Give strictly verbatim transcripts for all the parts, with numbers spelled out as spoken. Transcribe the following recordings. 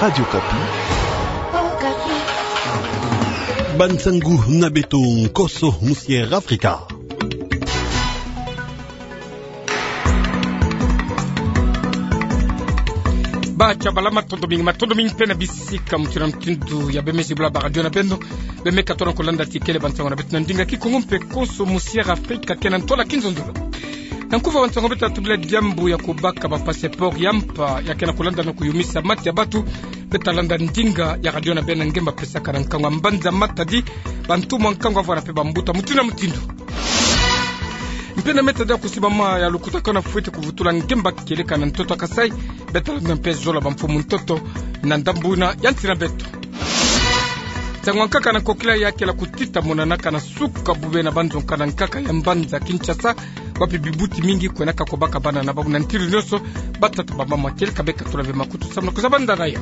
Radio Okapi. Bansangu na beto nkoso musi'Afrika. Ba tia bala, matondo mingi, matondo mingi mpe na bisika mutindu na mutindu ya bemezi bula ba radio na beno. Bemeka tona kolanda tikele bansangu na beto na ndinga Kikongo mpe nkoso musi'Afrika kena ntola kinzonzolo. Na nkufi wa bansangu beto, tubila diambu ya kobaka ba passeport ya mpa ya kena kolanda na koyumisa mata ya bato. Beto landa ndinga ya radio na beno na nge mba pesaka na nkangu ya mbanza Matadi, bantumwa nkangu avwara mpe bambuta mutindu na mutindu. Mpe na meta dia kusiba ma ya lukutakanu fwete kuvutula nge mba kieleka na ntoto ya Kasaï. Beto landa mpe zolo ya bamfumu ntoto na ndambu yina ya nsi na beto. Nsangu ya nkaka na nkokila ya kele kutita monanaka na suka bube na banzonka na nkaka ya mbanza Kinshasa, wapi bibuti mingi kwenaka kobaka bana na bawu na ntilu nyonso, batata, bamama, kieleka beka tula ve makutu samu na kuzabanda na yo.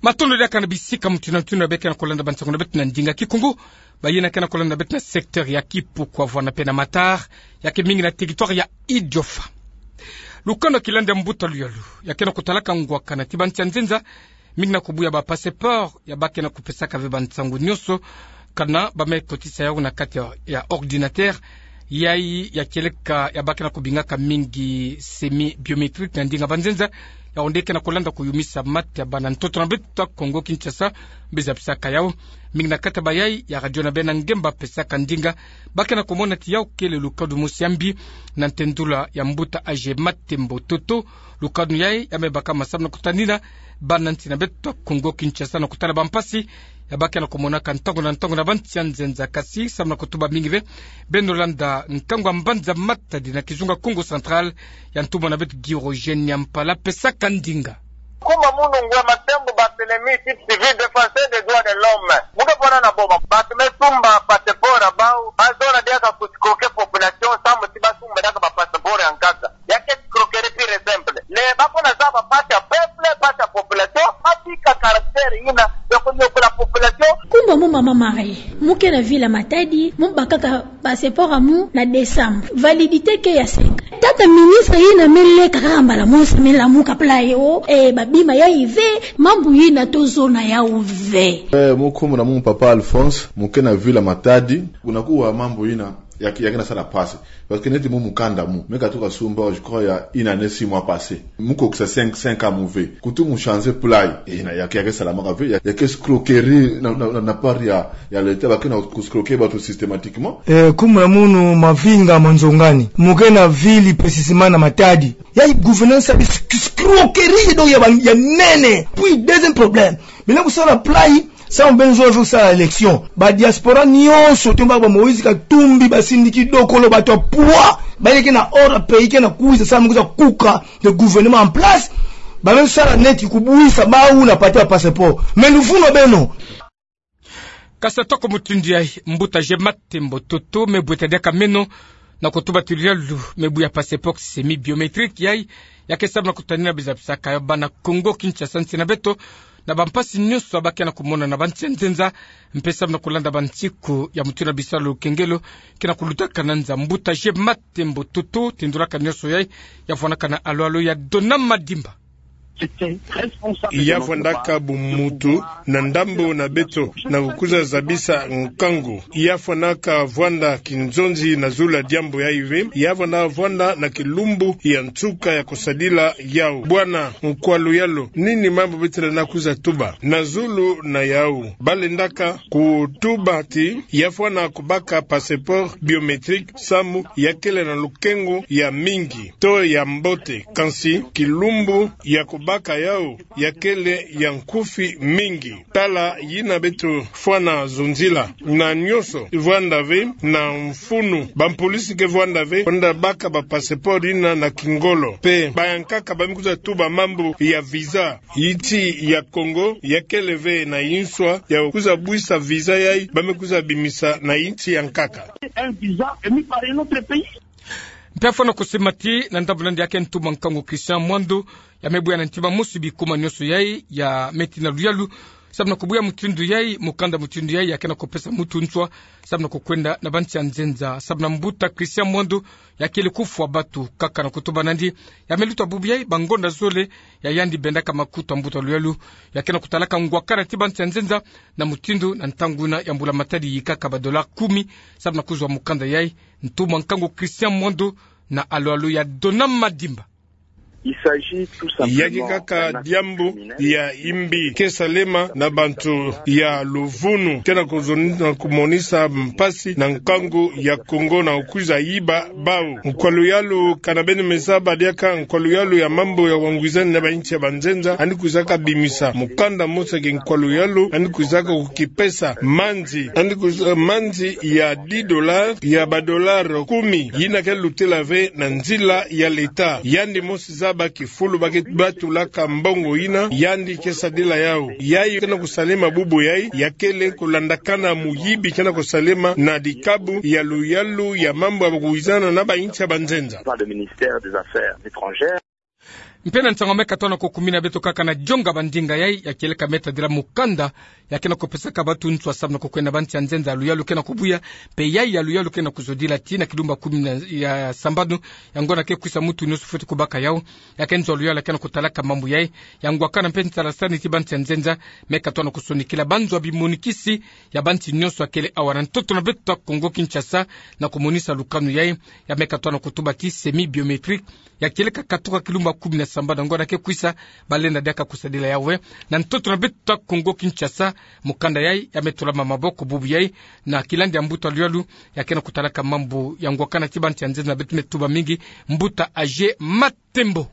Matondo diaka na bisika mutindu na mutindu ya beka na kolanda bansangu na beto na ndinga Kikongo. Bayina kena kolanda beto na secteur ya Kipuku, Havana mpe na Matar, ya ke mingi na territoire ya Idiofa. Lukano ya kilanda ya mbuta luyalu ya kena kotalaka ngwakana ti bansi ya nzenza, mingi na kobuya ba passeport ya ba kena kopesaka ve bansangu nyonso, kana ba me kotisa yawu na kati ya, ya ordinateur, yayi ya kieleka ya ba kena kobingaka mingi semi-biométrique na ndinga banzenza, yawu nde kena kolanda koyumisa mata ya bana ntoto na beto ya Kongo Kinshasa, mbi zabisaka yawu. Mingi na kati ya bayayi ya radio na beno na nge mba pesaka ndinga, ba kena komona ti yawu kele lukanu mosi ya mbi na ntendula ya mbuta Age Matembo Toto. Lukanu yayi ya me baka ma samu na kotanina bana nsi na beto ya Kongo Kinshasa na kotala bampasi ya ba kena komonaka ntangu na ntangu na bansi ya nzenza. Kasi samu na kotuba mingi ve, beno landa nkangu ya mbanza Matadi na kizunga Kongo Central, ya ntumwa na beto Girogène Niampala pesaka ndinga. Nkumbu ya munu Ngwe Matembo Barthélemy, type civil, défenseur des droits de l'homme. Mu ke vwanda na boma, bato me sumba passeport ya bawu, ba zola diaka ko escroquer population, samu ti ba sumba diaka ba passeport ya nkaka. Ya ke escroquerie pure et simple. Le ba kona zaba mpasi ya peuple, mpasi ya population, ba bika caractère yina ya konyokola population. Nkumbu ya mu Mama Marie, mu ke na ville ya Matadi, mu bakaka passeport ya mu na décembre. Validité ke ya cinq ans. Tata ministre yina me leka kaka mbala mosi, me lamuka pla yo, eh, ba bima yayi ve, mambu yina tozona yawu ve. Eh, mu nkumbu na mu Papa Alphonse, mu ke na ville ya Matadi, kuna kuwa mambu yina ya ke, ya ke na sala mpasi. Parce que neti mu mukanda mu, me katuka sumba, je crois, il y a une année, six mois passés. Mu kokisa cinq, cinq ans mu ve. Kutu mu changer pla yi. Eh, na ya ke, ya ke salamaka ve, ya, ya ke escroquerie na, na, na, na part ya, ya l'État, ba ke na ko escroquer bato systématiquement. Eh, nkumbu na munu Mavinga Manzongani. Mu ke na ville précisément na Matadi. Ya gouvernance ya escroquerie donc ya ba, ya nene. Puis deuxième problème. Beno kusala pla yi, samu beno zola ve kusala élection. Ba diaspora nyonso, tomba ba Moïse Katumbi, ba Cindy Kidokolo, bato ya poids, ba yeke na ordre pays ke na kwiza, samu kwiza kuka le gouvernement en place. Ba me sala neti kubuisa bawu na mpasi ya passeport. Mais luvunu beno. Kasi atako mutindu yayi, mbuta Age Matembo Toto me bweta diaka meno na kotuba ti luyalu me buya passeport semi-biométrique yayi, ya ke samu na kotanina biza bisaka ya bana Kongo Kinshasa nsi na beto, na bampasi nyonso ya ba ke na komona na bansi ya nzenza, mpe samu na kolanda bansiku ya mutindu na bisalu kengelo ke na kulutakana nza. Mbuta Age Matembo Toto, tindulaka nyonso yayi, ya vwanaka na alo-alo ya Dona Madimba. Ya vwandaka bumutu na ndambo na beto na kukwiza zabisa nkangu. Ya vwandaka vwanda kinzonzi na zulu ya diambu yayi ve. Ya vwandaka vwanda na kilumbu ya nsuka ya kusadila yawu. Bwana Nkwalu Yalo, nini mambu beto lenda kwiza tuba na zulu na yawu? Ba lendaka kutuba ti ya vwanda kubaka passeport biométrique samu ya kele na lukengo ya mingi to ya mbote, kansi kilumbu ya kubaka yawu ya kele ya nkufi mingi. Tala yina beto vwanda zonzila. Na nyonso vwanda ve na mfunu. Bampolisi ke vwanda ve, vwanda baka ba passeport yina na kingolo. Mpe bayankaka ba me kwiza tuba mambu ya visa. Insi ya Kongo ya kele ve na inswa ya kwiza bwisa visa yayi ba me kwiza bimisa na insi ya nkaka. Mpe fwana kusimati na ndambu nandi ya ke ntumwa nkangu Christian Mwando, ya me buya na ntima mosi bikuma nyonso yayi ya me tina luyalu Samu na kubuya mutindu yai, mukanda mutindu yai ya ke na kupesa mutu nswa samu na kukwenda na bansi ya nzenza. Samu na mbuta Christian Mwando, ya kele kufwa batu kaka na kutuba nandi, ya me luta bubu yai bangonda zole, ya yandi bendaka makutu a mbuta luyalu ya ke na kutalaka ngwakana ti bansi ya nzenza, na mutindu na ntangu na ya mbula matadi yikaka ba dollars kumi, samu na kuzwa mukanda yai. Ntumwa nkangu Christian Mwando na alo-alo ya Dona Madimba. Il s'agit tout simplement... Ya ke kaka diambu ya imbi ke salema na bantu ya luvunu, ke na kuzon-, na kumonisa mpasi na nkangu ya Kongo na kwiza yiba bau. Nkwa luyalu kana beno me zaba diaka, nkwa luyalu ya mambu ya wangwizani na bansi ya banzenza, yandi kwizaka bimisa mukanda mosi ya nkwa luyalu, yandi kwizaka kukipesa manzi, yandi kwiza, manzi ya dix dollars, ya ba dollars kumi, yina ke lutela ve na nzila ya l'État. Yandi mosi zaba kifulu ba ke batulaka mbongo yina, yandi ke sadila yau. Yai ke na kusalema bubu yai, ya kele kulandakana muyibi ke na kusalema na dikabu ya luyalu ya mambu ya bakuwizana na bansi ya banzenza. Par le ministère des Affaires étrangères. Mpe na nsangu me katuka na kukumina beto kaka na dionga ba ndinga yai, ya kieleka me tadila mukanda ya ke na kupesaka batu nswa samu na kukwenda na bansi ya nzenza, luyalu ke na kubuya, mpe yai ya luyalu ke na kuzodila tii na kilumbu ya kumi na, ya sambanu, ya ngonda ke kwisa mutu nionso fweti kubaka yau. Ya ke nzo luyalu ya ke na kutalaka mambu yai, ya ngwakana mpe nsalasani ti bansi ya nzenza, me katuka na kusonikila banzo ya bimonikisi ya bansi nionso ya kele awa na ntoto na beto ya Kongo Kinshasa, na kumonisa lukanu yai, ya me katuka na kutuba ti semi-biométrique, ya kieleka katuka kilumbu ya kumi na sambanu na ngonda ke kwisa, ba lenda diaka kusadila yau ve. Na ntoto na beto ya Kongo Kinshasa, mukanda yai ya me tula ma maboko bubu yai, na kilandi ya mbuta luyalu ya ke na kutalaka mambu ya ngwakana ti bansi ya nzenza, beto me tuba mingi, mbuta Aje Matembo.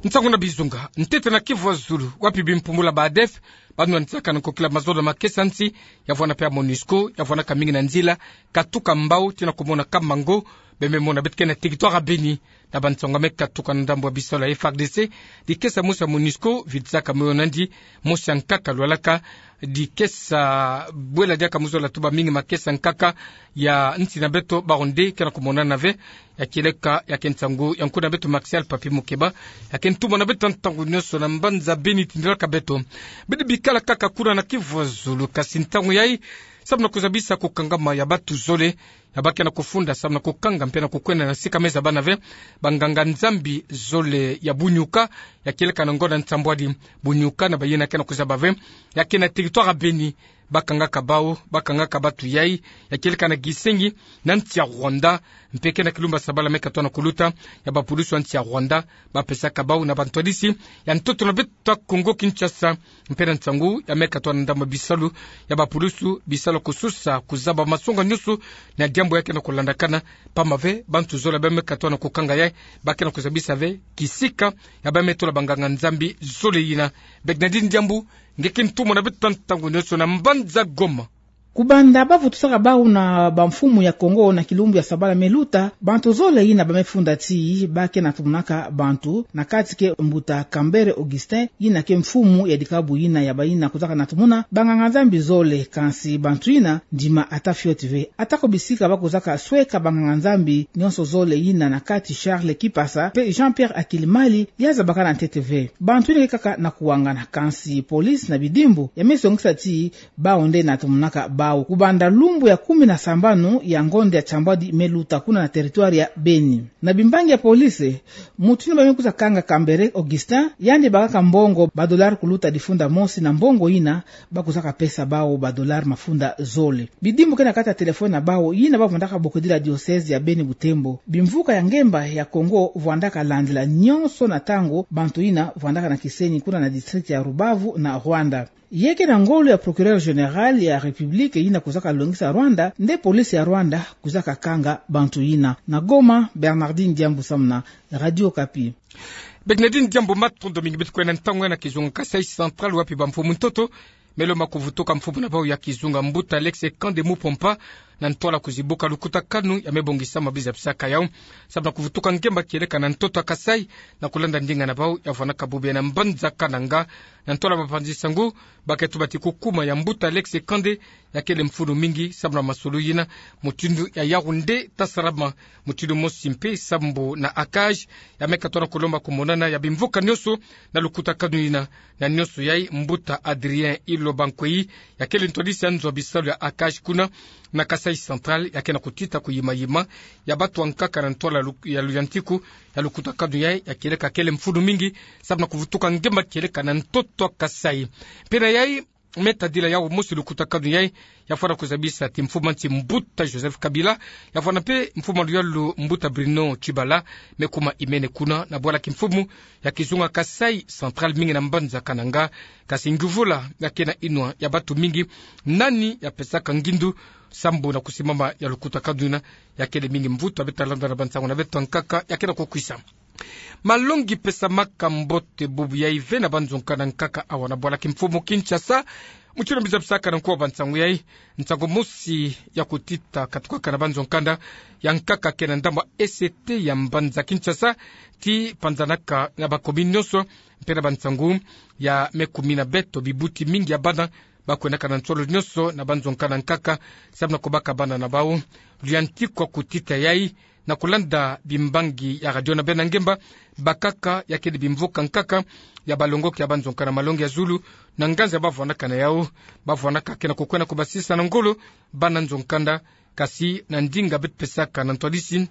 Nsangu na bizunga, ntete na Kivu ya zulu, wapi bimpumbula ba ADF, ba nwantisaka na nkokila mazono ma kesa nsi, ya vwanda mpe ya MONUSCO, ya vwandaka mingi na nzila, katuka mbau tii na kumona kamba ngo bie me mona beto ke na territoire ya Beni. Na bansangu me katuka na ndambu ya bisalu ya FARDC, dikesa mosi ya MONUSCO vidisaka moyo nandi, mosi ya nkaka lwalaka, dikesa bwela diaka mu zola tuba mingi makesa nkaka ya nsi na beto, bawu nde ke na kumonana ve. Ya kieleka, ya ke nsangu ya nkuna beto Martial Papi Mukeba, ya ke ntumwa na beto ntangu nionso na mbanza Beni tindilaka beto. Bidi bikala kaka kuna na Kivu ya zulu, kasi ntangu yai, samu na kuzabisa kukangama ya batu zole, ya ba ke na kufunda samu na kukanga mpe na kukwenda na sika me zabana ve, banganga-Nzambi zole ya Bunyuka, ya kieleka na ngonda nsambwadi. Bunyuka na bayina ke na kuzaba ve, ya ke na territoire ya Beni, ba kangaka bau, ba kangaka batu yai, ya kieleka na Gisenyi, na nsi ya Rwanda, mpe ke na kilumbu ya sabala me katuka na kuluta, ya bapulusu ya nsi ya Rwanda ba pesaka bau na bantwadisi ya ntoto na beto ya Kongo Kinshasa. Mpe na nsangu ya me katuka na ndambu ya bisalu ya bapulusu, bisalu kususa kuzaba masonga nionso na diambu ya ke na kulandakana, pamba ve bantu zole ba me katuka na kukanga yai, ba ke na kuzabisa ve kisika ya ba me tola banganga-Nzambi zole yina. Bernardine Diambu, nge ke ntumwa na beto ntangu nionso na mbanza Goma. Kubanda ba vutusaka bau na bamfumu ya Kongo na kilumbu ya sabala me luta, bantu zole yina ba me funda ti ba ke na tumunaka bantu, na kati ke mbuta Kambere Augustin, yina ke mfumu ya dikabu yina ya bayina kuzaka na tumuna banganga-Nzambi zole. Kansi bantu yina, ndima ata fioti ve. Ata ko bisika ba kuzaka sweka banganga-Nzambi nionso zole yina na kati Charles Kipasa mpe Jean-Pierre Akilimali, ya zabakana ntete ve. Bantu yina ke kaka na kuwangana, kansi police na bidimbu ya me songisa ti bau nde na tumunaka bau. Kubanda lumbu ya kumi na sambanu ya ngonda ya nsambwadi me luta kuna na territoire ya Beni, na bimbangi ya police, mutu yina ba me kwiza kanga Kambere Augustin, yandi bakaka mbongo ba dollars kuluta difunda mosi, na mbongo yina ba kwizaka pesa bau ba dollars mafunda zole. Bidimbu ke na kati ya téléphone na bau, yina ba vandaka bokodila diocèse ya Beni Butembo. Bimvuka ya ngemba ya Kongo vandaka landila nionso na ntangu bantu yina vandaka na kisenyi kuna na district ya Rubavu na Rwanda. Ye ke na ngolo ya procureur général ya République yina kwizaka longisa Rwanda, nde police ya Rwanda kwizaka kanga bantu yina. Na Goma, Bernardine Diambu samu na Radio Okapi. Bernardine Diambu, matondo mingi. Beto kwenda ntangu ya na kizunga Kasaï Central, wapi bamfumu ntoto me lomba kuvutuka mfumu na bau ya kizunga, mbuta Alex Kande Mupompa, na ntwala kuzibuka lukutakanu ya mebongisama bizapisaka yau, sababu na kuvutuka ngemba kieleka na ntoto ya Kasaï, na kulanda ndinga na bau ya vwanaka bubu yai na mbanza Kananga, na ntwala bapanzi nsangu, baketi bati kukuma ya mbuta Alex Kande, ya kele mfunu mingi, sababu na masolo yina, mutindu ya Yaoundé ta salama, mutindu mosi mpe, sababu na ACAJ, ya meka tona kulomba kumonana ya bimvuka nionso, na lukutakanu yina, na nionso yai mbuta Adrien Iloba Nkwei, ya kele ntwadisi ya nzo ya bisalu ya ACAJ kuna, na Kasaï Central, ya ke na kutita kuyima-yima, ya batu ankaka na ntwala lu-, ya luyantiku, ya lukutakanu yai, ya kieleka kele mfunu mingi, sababu na kuvutuka ngemba kieleka na ntoto ya Kasaï. Mpe na yai, me tadila yau mosi lukutakanu yai, ya vwana kuzabisa ti mfumu a nsi mbuta Joseph Kabila, ya vwana mpe mfumu a luyalu mbuta Bruno Tshibala, me kuma imene kuna, na bwala kimfumu, ya kizunga Kasaï Central mingi na mbanza Kananga, kasi nguvula, ya ke na inwa, ya batu mingi, nani, ya pesaka ngindu, sababu na kusimama ya lukutakanu yina, ya kele mingi mvutu, ya beta landa na bansangu na beto ankaka, ya ke na kukwisa. Malongi pesamaka mbote bubu yai ve na banzonkanda ankaka awa na bwala kimfumu Kinshasa. Mutindu bizapisaka na nkuwa bansangu yai, nsangu mosi ya kutita katukaka na banzonkanda ya nkaka ke na ndambu ya E C T ya mbanza Kinshasa, ti panzanaka na bakomi nionso, mpe na bansangu ya me kumina beto bibuti mingi ya bana, bakwenaka na nsolo nionso na banzonkanda ankaka, sababu na kubaka bana na bau. Luyantiku ya kutita yai, na kulanda bimbangi ya radio na bena ngemba, bakaka ya kele bimvuka nkaka, ya balongoki ya banzonkanda malongi ya zulu, na nganzi ya bavwanaka na yau, bavwanaka ke na kukwenda kubasisa na ngolo, bana nzonkanda, kasi na ndinga beto pesaka na ntwadisi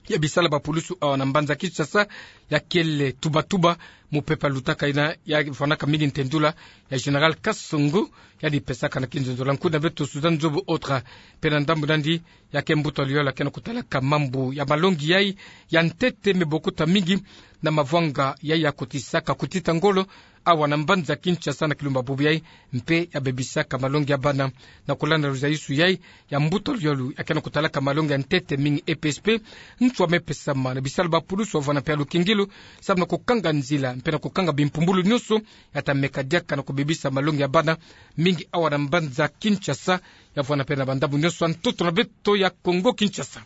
ya bisalu ya bapulusu awa na mbanza Kinshasa, ya kele tuba-tuba, mupepe lutaka yina, ya vwanaka mingi ntendula, ya Général Kasongo, yandi pesaka na kinzonzolo ya nkuna beto Suzanne Nzobo Otra, mpe na ndambu nandi, ya ke mbuta luyalu ya ke na kutalaka mambu ya malongi yai, ya ntete me bokuta mingi, na mavwanga yai ya kutisaka kutita ngolo, awa na mbanza Kinshasa na kilumba bubu yai, mpe ya bebisaka malongi ya bana, na kulanda luzayisu yai, ya mbuta luyalu, ya ke na kutalaka malongi ya ntete mingi E P S P, nswa me pesama, na bisalu bapulusu ya vwana mpe ya lukingilu, sababu na kukanga nzila, mpe na kukanga bimpumbulu nionso, ya ta meka diaka na kubebisa malongi ya bana, mingi awa na mbanza Kinshasa, ya vwana mpe na bandambu nionso ya ntoto na beto ya Kongo Kinshasa.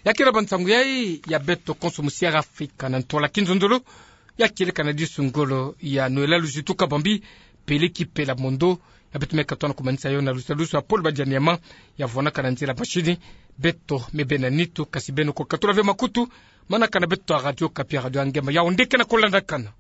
Ya ke na bansangu yai ya beto konso musiara Afrika na ntwala kinzonzolo, ya kieleka na disu ngolo ya Noëlla Luzitu Kabambi, Peleki Pela Mondo, ya beto meka tona kumanisa yo na lusalusu ya Paul Badianiama, ya vwanaka na nzila mashini, beto me bena nitu, kasi beno kukatula ve makutu, manaka na beto ya Radio Okapi, Radio ya Ngemba, Yaoundé ke na kulandakana.